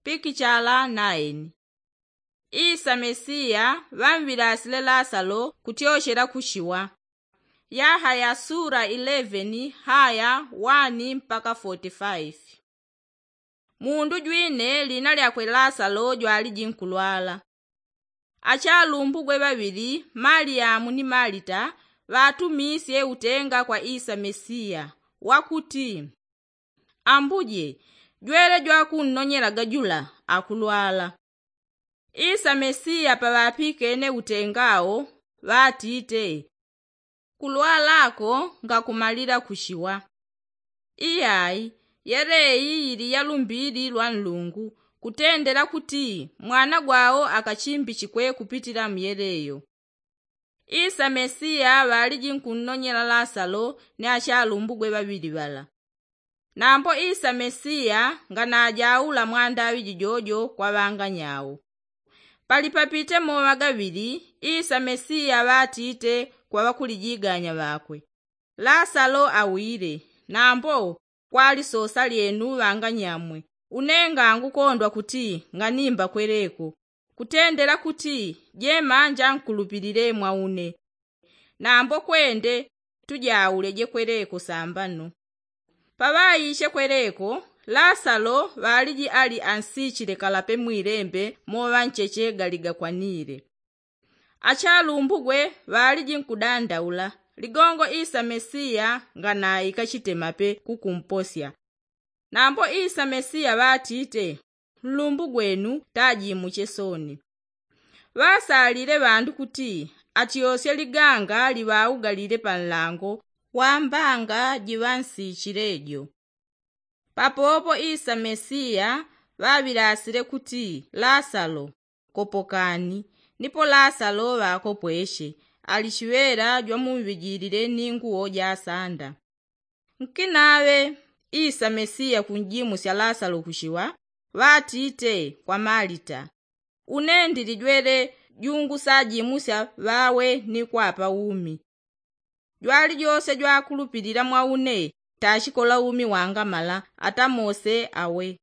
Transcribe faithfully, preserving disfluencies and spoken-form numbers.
Pikichala naeni. Isa mesiya ŵamŵilasile lasalo kutyochela kushiwa. Yahaya sula ileveni haya wani mpaka foti faifi. Mundu jwine lina lyakwe lasalo jwaliji nkulwala. Achalumbugwe ŵaŵili maliyamu ni malita ŵatumisye utenga kwa isa mesiya, wakuti, ambuje, jwele jwakunnonyelaga jula akulwala. Isa mesiya paŵapikene utenga wo, ŵatite, kulwala ko ngakumalila kushiwa. Iyai, yeleyi yili yalumbili lwa nlungu, kutendela kuti mwana gwawo akachimbichikwe kupitila muyeleyo. Isa mesiya ŵaliji nkunnonyela lasalo ni achalumbugwe ŵaŵili ŵala. Nambo isa mesiya nganajaula mwandaŵi jijojo kwa ŵanganyawo. Palipapite moŵa gaŵili, isa mesiya ŵatite kwa ŵakulijiganya ŵakwe, lasalo awile. Nambo kwali sosa lyenu ŵanganyamwe, une ngangukondwa kuti nganimba kweleko, kutendela kuti jemanja nkulupilile mwa une. Nambo kwende, tujaule jekweleko sambano. Paŵaiche kweleko, lasalo ŵaliji ali ansichile kalape mwilembe moŵa ncheche galigakwanile. Achalumbugwe ŵaliji nkudandaula, ligongo isa mesiya nganaikachite mape kukumposya. Nambo isa mesiya ŵatite, nlumbu gwenu tajimuche soni. Ŵasalile ŵandu kuti atyosye liganga liŵaugalile panlango wa mbanga jiŵansichile jo. Papopo isa mesiya ŵaŵilasile kuti, lasalo, kopokani. Nipo lasalo ŵakopweshe, ali chiŵela jwamumŵijilile ni nguwo jasanda. Nkinaŵe isa mesiya kunjimusya lasalo kushiwa, ŵatite kwa malita, une ndili jwele jungusajimusya ŵawe ni kwapa umi. Jwalijose jwakulupilila mwa une tachikola umi wangamala ata mose awe.